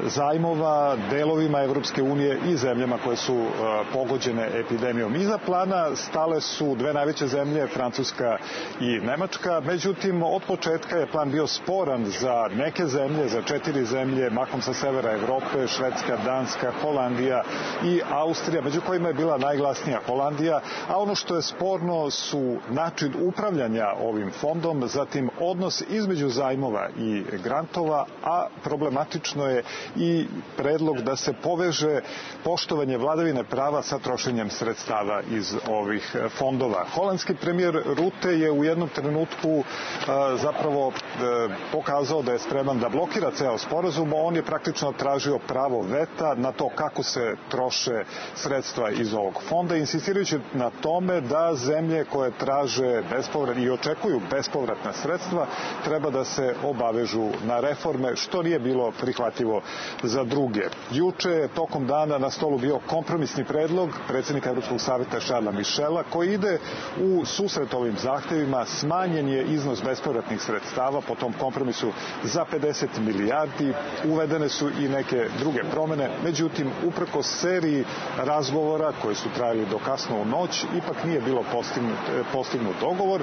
zajmova delovima Evropske unije i zemljama koje su e, pogođene epidemijom. Iza plana stale su dve najveće zemlje, Francuska i Nemačka, međutim od početka je plan bio sporan za neke zemlje, za četiri zemlje, mahom sa severa Evrope, Švedska, Danska, Holandija i Austrija, među kojima je bila najglasnija Holandija, a ono što je sporno su način upravljanja ovim fondom, zatim odnos između zajmova i grantova, a problematično je i predlog da se poveže poštovanje vladavine prava sa trošenjem sredstava iz ovih fondova. Holandski premijer Rutte je u jednom trenutku zapravo pokazao da je spreman da blokira ceo sporazum, on je praktično tražio pravo veta na to kako se troše sredstva iz ovog fonda, insistirajući na tome da zemlje koje traže bespovratne i očekuju bespovratna sredstva treba da se obavežu na reforme, što nije bilo prihvatljivo za druge. Juče je tokom dana na stolu bio kompromisni predlog predsjednika Evropskog savjeta Charlesa Michela koji ide u susret ovim zahtevima. Smanjen je iznos bespovratnih sredstava po tom kompromisu za pedeset milijardi, uvedene su i neke druge promene, međutim uprkos seriji razgovora koji su trajali do kasno u noć, ipak nije bilo postignut, postignut dogovor.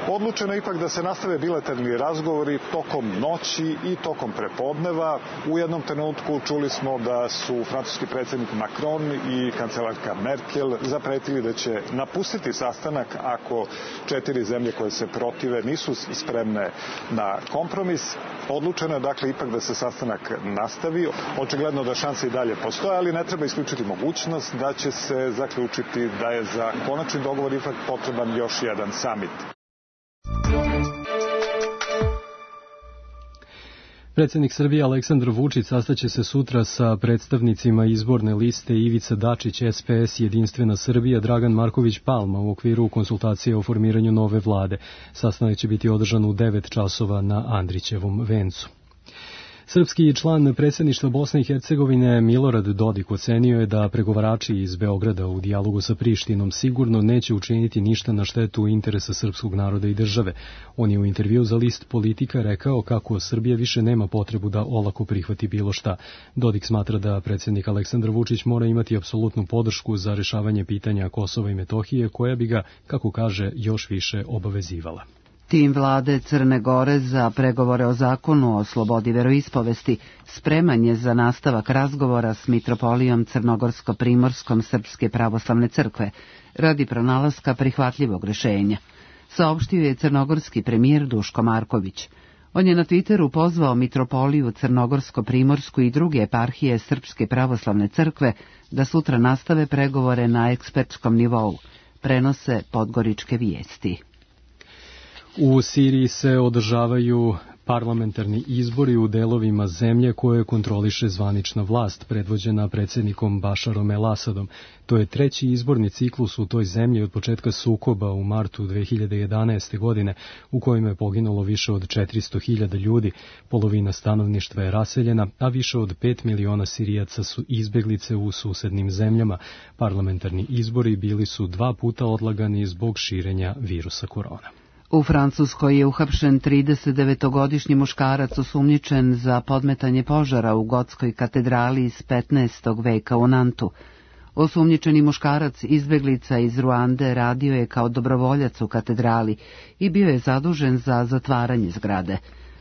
Odlučeno je ipak da se nastave bilateralni razgovori tokom noći i tokom prepodneva. U jednom trenutku čuli smo da su francuski predsjednik Macron i kancelarka Merkel zapretili da će napustiti sastanak ako četiri zemlje koje se protive nisu spremne na kompromis. Odlučeno je dakle ipak da se sastanak nastavi. Očigledno da šanse i dalje postoje, ali ne treba isključiti mogućnost da će se zaključiti da je za konačni dogovor ipak potreban još jedan samit. Predsjednik Srbije Aleksandar Vučić sastaće se sutra sa predstavnicima izborne liste Ivica Dačić, S P S Jedinstvena Srbija, Dragan Marković Palma u okviru konsultacije o formiranju nove vlade. Sastanak će biti održan u devet časova na Andrićevom vencu. Srpski član predsjedništva Bosne i Hercegovine Milorad Dodik ocenio je da pregovarači iz Beograda u dijalogu sa Prištinom sigurno neće učiniti ništa na štetu interesa srpskog naroda i države. On je u intervju za list Politika rekao kako Srbija više nema potrebu da olako prihvati bilo šta. Dodik smatra da predsjednik Aleksandar Vučić mora imati apsolutnu podršku za rešavanje pitanja Kosova i Metohije, koja bi ga, kako kaže, još više obavezivala. Tim vlade Crne Gore za pregovore o zakonu o slobodi veroispovesti spreman je za nastavak razgovora s mitropolijom Crnogorsko-Primorskom Srpske pravoslavne crkve radi pronalaska prihvatljivog rešenja, saopštio je crnogorski premijer Duško Marković. On je na Twitteru pozvao mitropoliju Crnogorsko-Primorsku i druge eparhije Srpske pravoslavne crkve da sutra nastave pregovore na ekspertskom nivou, prenose Podgoričke vijesti. U Siriji se održavaju parlamentarni izbori u delovima zemlje koje kontroliše zvanična vlast, predvođena predsjednikom Bašarom el-Asadom. To je treći izborni ciklus u toj zemlji od početka sukoba u martu dve hiljade jedanaeste. godine, u kojima je poginulo više od četiristo hiljada ljudi, polovina stanovništva je raseljena, a više od pet miliona Sirijaca su izbeglice u susednim zemljama. Parlamentarni izbori bili su dva puta odlagani zbog širenja virusa korona. U Francuskoj je uhapšen tridesetdevetogodišnji muškarac osumnjičen za podmetanje požara u gotskoj katedrali iz petnaestog veka u Nantu. Osumnjičeni muškarac, izbeglica iz Ruande, radio je kao dobrovoljac u katedrali i bio je zadužen za zatvaranje zgrade.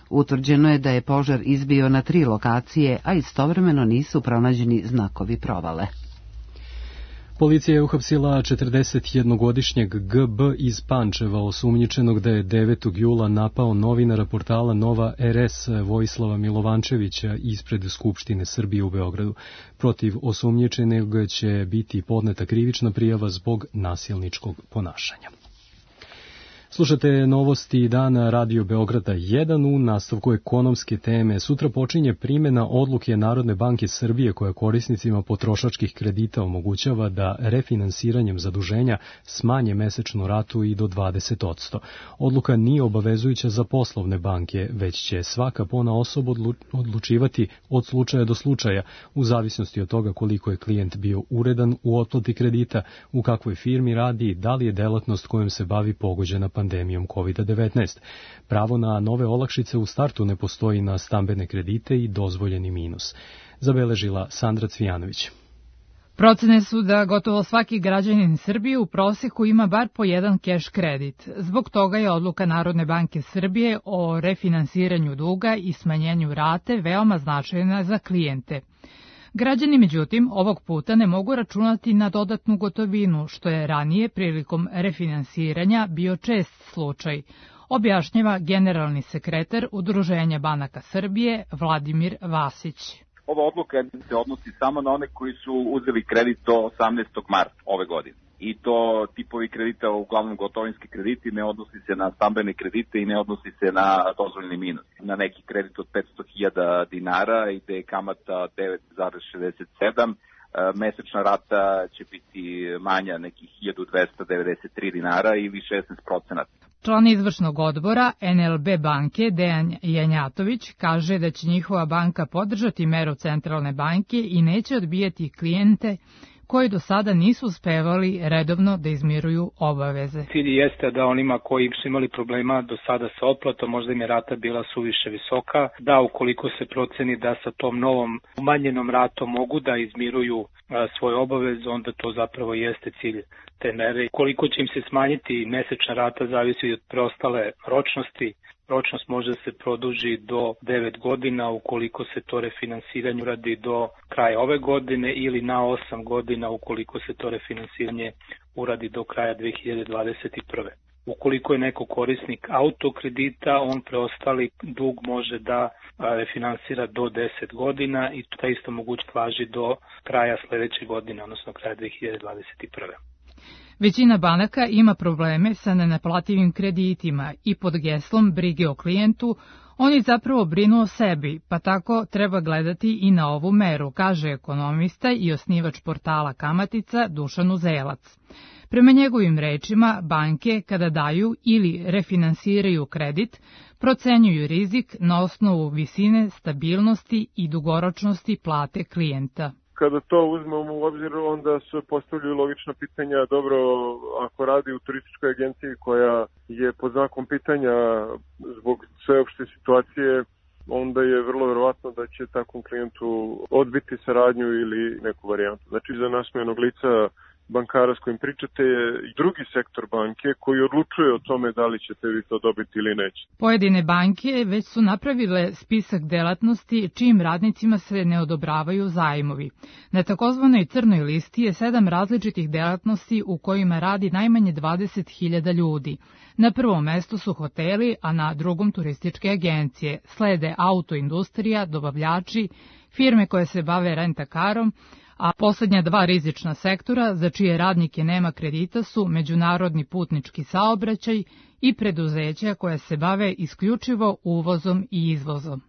Utvrđeno je da je požar izbio na tri lokacije, a istovremeno nisu pronađeni znakovi provale. Policija je uhapsila četrdesetjednogodišnjeg G B iz Pančeva, osumnjičenog da je devetog jula napao novinara portala Nova R S Vojislava Milovančevića ispred Skupštine Srbije u Beogradu. Protiv osumnjičenog će biti podneta krivična prijava zbog nasilničkog ponašanja. Slušate novosti dana Radio Beograda jedan u nastavku ekonomske teme. Sutra počinje primjena odluke Narodne banke Srbije koja korisnicima potrošačkih kredita omogućava da refinansiranjem zaduženja smanje mesečnu ratu i do dvadeset posto. Odluka nije obavezujuća za poslovne banke, već će svaka ponaosob odlučivati od slučaja do slučaja, u zavisnosti od toga koliko je klijent bio uredan u otplati kredita, u kakvoj firmi radi i da li je delatnost kojom se bavi pogođena pandemijom kovid devetnaest. Pravo na nove olakšice u startu ne postoji na stambene kredite i dozvoljeni minus. Zabeležila Sandra Cvijanović. Procene su da gotovo svaki građanin Srbije u proseku ima bar po jedan keš kredit. Zbog toga je odluka Narodne banke Srbije o refinansiranju duga i smanjenju rate veoma značajna za klijente. Građani, međutim, ovog puta ne mogu računati na dodatnu gotovinu, što je ranije prilikom refinansiranja bio čest slučaj, objašnjava generalni sekretar Udruženja banaka Srbije Vladimir Vasić. Ova odluka se odnosi samo na one koji su uzeli kredit do osamnaestog marta ove godine. I to tipovi kredita, uglavnom gotovinski krediti, ne odnosi se na stambene kredite i ne odnosi se na dozvoljeni minus. Na neki kredit od petsto hiljada dinara ide kamata devet zarez šezdeset sedam, mesečna rata će biti manja nekih hiljadu dvesta devedeset tri dinara ili šesnaest procenata. Član izvršnog odbora en el be banke Dejan Janjatović kaže da će njihova banka podržati meru centralne banke i neće odbijati klijente koji do sada nisu uspevali redovno da izmiruju obaveze. Cilj jeste da onima koji su imali problema do sada sa otplatom, možda im je rata bila suviše visoka, da ukoliko se proceni da sa tom novom umanjenom ratom mogu da izmiruju svoje obaveze, onda to zapravo jeste cilj te mere. Koliko će im se smanjiti mesečna rata zavisi od preostale ročnosti. Ročnost može da se produži do devet godina ukoliko se to refinansiranje uradi do kraja ove godine ili na osam godina ukoliko se to refinansiranje uradi do kraja dve hiljade dvadeset prve. Ukoliko je neko korisnik autokredita, on preostali dug može da refinansira do deset godina i ta isto mogućnost važi do kraja sledeće godine, odnosno kraja dve hiljade dvadeset prve. Većina banaka ima probleme sa nenaplativim kreditima i pod geslom brige o klijentu oni zapravo brinu o sebi, pa tako treba gledati i na ovu meru, kaže ekonomista i osnivač portala Kamatica Dušan Uzelac. Prema njegovim rečima, banke kada daju ili refinansiraju kredit, procenjuju rizik na osnovu visine, stabilnosti i dugoročnosti plate klijenta. Kada to uzmemo u obzir, onda se postavljaju logična pitanja, dobro, ako radi u turističkoj agenciji koja je pod znakom pitanja zbog sveopšte situacije, onda je vrlo verovatno da će takvom klijentu odbiti saradnju ili neku varijantu. Znači, za nasmejanog lica bankara s kojim pričate je drugi sektor banke koji odlučuje o tome da li ćete vi to dobiti ili neće. Pojedine banke već su napravile spisak delatnosti čijim radnicima se ne odobravaju zajmovi. Na takozvanoj crnoj listi je sedam različitih delatnosti u kojima radi najmanje dvadeset hiljada ljudi. Na prvom mestu su hoteli, a na drugom turističke agencije. Slede autoindustrija, dobavljači, firme koje se bave rentakarom, a poslednja dva rizična sektora za čije radnike nema kredita su međunarodni putnički saobraćaj i preduzeća koje se bave isključivo uvozom i izvozom.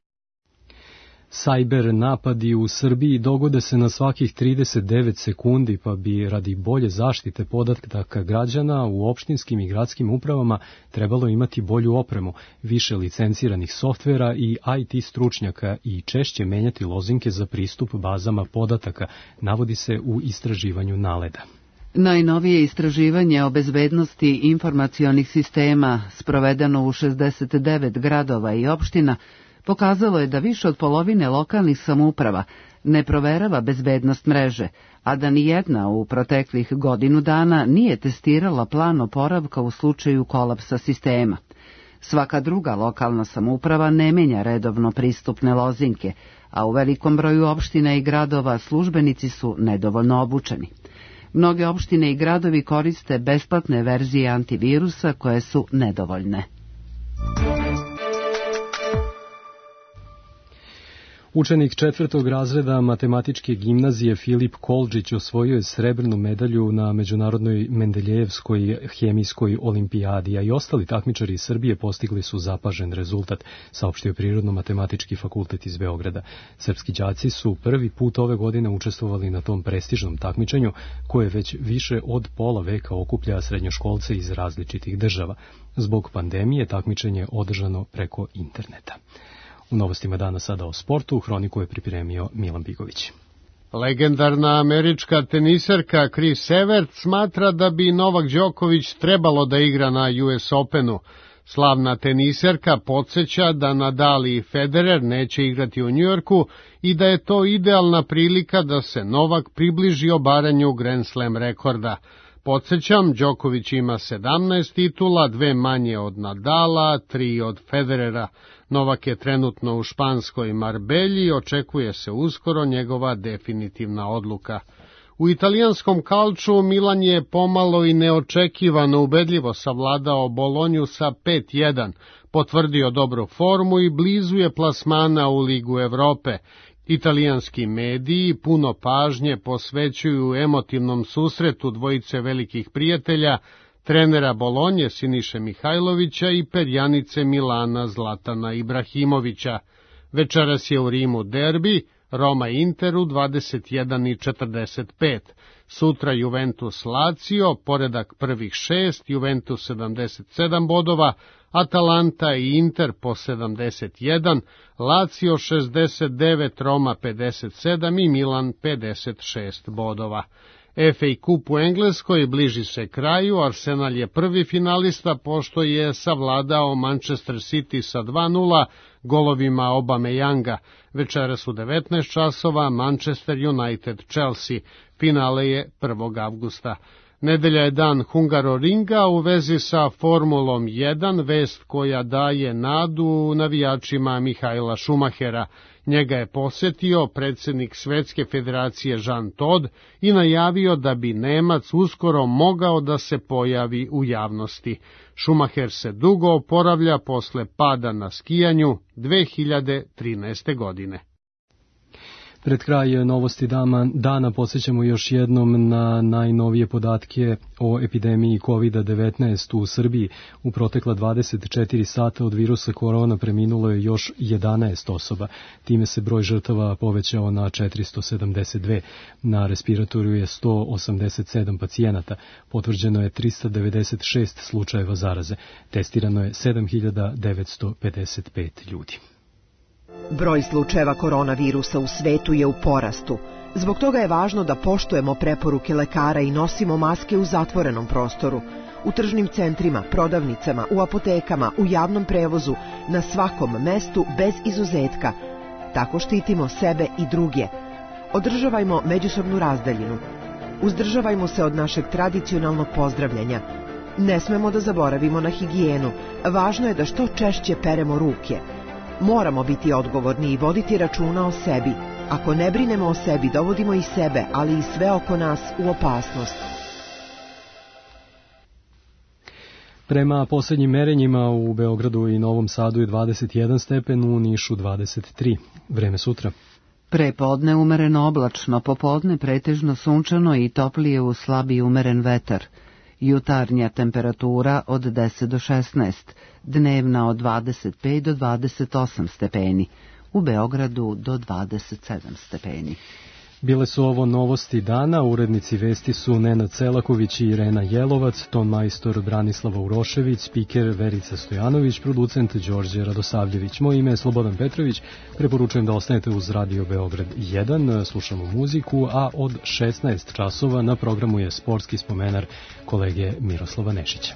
Sajber napadi u Srbiji dogode se na svakih trideset devet sekundi, pa bi radi bolje zaštite podataka građana u opštinskim i gradskim upravama trebalo imati bolju opremu, više licenciranih softvera i i te stručnjaka i češće menjati lozinke za pristup bazama podataka, navodi se u istraživanju Naleda. Najnovije istraživanje o bezbednosti informacionih sistema, sprovedeno u šezdeset devet gradova i opština, pokazalo je da više od polovine lokalnih samouprava ne proverava bezbednost mreže, a da ni jedna u proteklih godinu dana nije testirala plan oporavka u slučaju kolapsa sistema. Svaka druga lokalna samouprava ne menja redovno pristupne lozinke, a u velikom broju opština i gradova službenici su nedovoljno obučeni. Mnoge opštine i gradovi koriste besplatne verzije antivirusa koje su nedovoljne. Učenik četvrtog razreda matematičke gimnazije Filip Kolđić osvojio je srebrnu medalju na Međunarodnoj Mendeljejevskoj hemijskoj olimpijadi, a i ostali takmičari iz Srbije postigli su zapažen rezultat, saopštio Prirodno-matematički fakultet iz Beograda. Srpski đaci su prvi put ove godine učestvovali na tom prestižnom takmičenju, koje već više od pola veka okuplja srednjoškolce iz različitih država. Zbog pandemije takmičenje je održano preko interneta. U novostima dana sada o sportu, hroniku je pripremio Milan Bigović. Legendarna američka teniserka Chris Evert smatra da bi Novak Đoković trebalo da igra na U S Openu. Slavna teniserka podsjeća da Nadal i Federer neće igrati u Njujorku i da je to idealna prilika da se Novak približi obaranju Grand Slam rekorda. Podsjećam, Đoković ima sedamnaest titula, dve manje od Nadala, tri od Federera. Novak je trenutno u španskoj Marbelji i očekuje se uskoro njegova definitivna odluka. U italijanskom kalču Milan je pomalo i neočekivano ubedljivo savladao Bolonju sa pet jedan, potvrdio dobru formu i blizu je plasmana u Ligu Evrope. Italijanski mediji puno pažnje posvećuju emotivnom susretu dvojice velikih prijatelja, trenera Bolonje Siniše Mihajlovića i perjanice Milana Zlatana Ibrahimovića. Večeras je u Rimu derbi, Roma Inter u dvadeset jedan i četrdeset pet. Sutra Juventus Lazio, poredak prvih šest, Juventus sedamdeset sedam bodova, Atalanta i Inter po sedamdeset jedan, Lazio šezdeset devet, Roma pedeset sedam i Milan pedeset šest bodova. F A Kup u Engleskoj bliži se kraju, Arsenal je prvi finalista pošto je savladao Manchester City sa dva nula golovima Aubameyanga. Večeras u devetnaest časova Manchester United Chelsea, finale je prvog avgusta. Nedelja je dan Hungaroringa u vezi sa Formulom jedan, vest koja daje nadu navijačima Mihaela Schumachera. Njega je posjetio predsjednik Svetske federacije Jean Todt i najavio da bi Nemac uskoro mogao da se pojavi u javnosti. Schumacher se dugo oporavlja posle pada na skijanju dve hiljade trinaeste. godine. Pred kraj novosti dana podsjećamo još jednom na najnovije podatke o epidemiji kovid devetnaest u Srbiji. U protekla dvadeset četiri sata od virusa korona preminulo je još jedanaest osoba. Time se broj žrtava povećao na četiristo sedamdeset dve. Na respiratoru je sto osamdeset sedam pacijenata. Potvrđeno je trista devedeset šest slučajeva zaraze. Testirano je sedam hiljada devetsto pedeset pet ljudi. Broj slučajeva koronavirusa u svetu je u porastu. Zbog toga je važno da poštujemo preporuke lekara i nosimo maske u zatvorenom prostoru, u tržnim centrima, prodavnicama, u apotekama, u javnom prevozu, na svakom mestu bez izuzetka. Tako štitimo sebe i druge. Održavajmo međusobnu razdaljinu. Uzdržavajmo se od našeg tradicionalnog pozdravljanja. Ne smemo da zaboravimo na higijenu. Važno je da što češće peremo ruke. Moramo biti odgovorni i voditi računa o sebi. Ako ne brinemo o sebi, dovodimo i sebe, ali i sve oko nas u opasnost. Prema posljednjim merenjima u Beogradu i Novom Sadu je dvadeset jedan stepen, u Nišu dvadeset tri. Vreme sutra. Prepodne umereno oblačno, popodne pretežno sunčano i toplije uz slabi umeren vetar. Jutarnja temperatura od deset do šesnaest, dnevna od dvadeset pet do dvadeset osam stepeni, u Beogradu do dvadeset sedam stepeni. Bile su ovo novosti dana, urednici vesti su Nenad Selaković i Irena Jelovac, ton majstor Branislava Urošević, spiker Verica Stojanović, producent Đorđe Radosavljević. Moje ime je Slobodan Petrović, preporučujem da ostanete uz Radio Beograd jedan, slušamo muziku, a od šesnaest časova na programu je sportski spomenar kolege Miroslava Nešića.